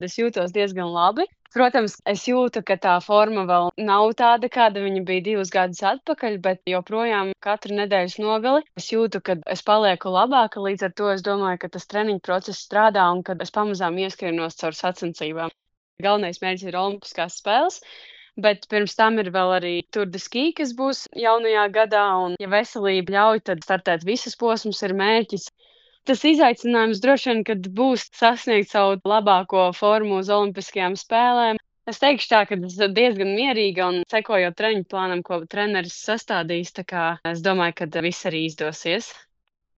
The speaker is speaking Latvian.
Es jūtos diezgan labi. Protams, es jūtu, ka tā forma vēl nav tāda, kāda viņa bija 2 gadus atpakaļ, bet joprojām katru nedēļas nogali es jūtu, ka es palieku labāka. Līdz ar to es domāju, ka tas treniņu process strādā un kad es pamazām ieskrienos caur sacensībām. Galvenais mērķis ir Olimpiskās spēles, bet pirms tam ir vēl arī Tour de Ski, kas būs jaunajā gadā, un, ja veselība ļauj, tad startēt visas posmus ir mērķis. Tas izaicinājums droši vien, kad būs sasniegt savu labāko formu uz Olimpiskajām spēlēm. Es teikšu tā, ka es diezgan mierīga un sekojot treniņu plānam, ko treneris sastādījis, tā kā es domāju, ka viss arī izdosies.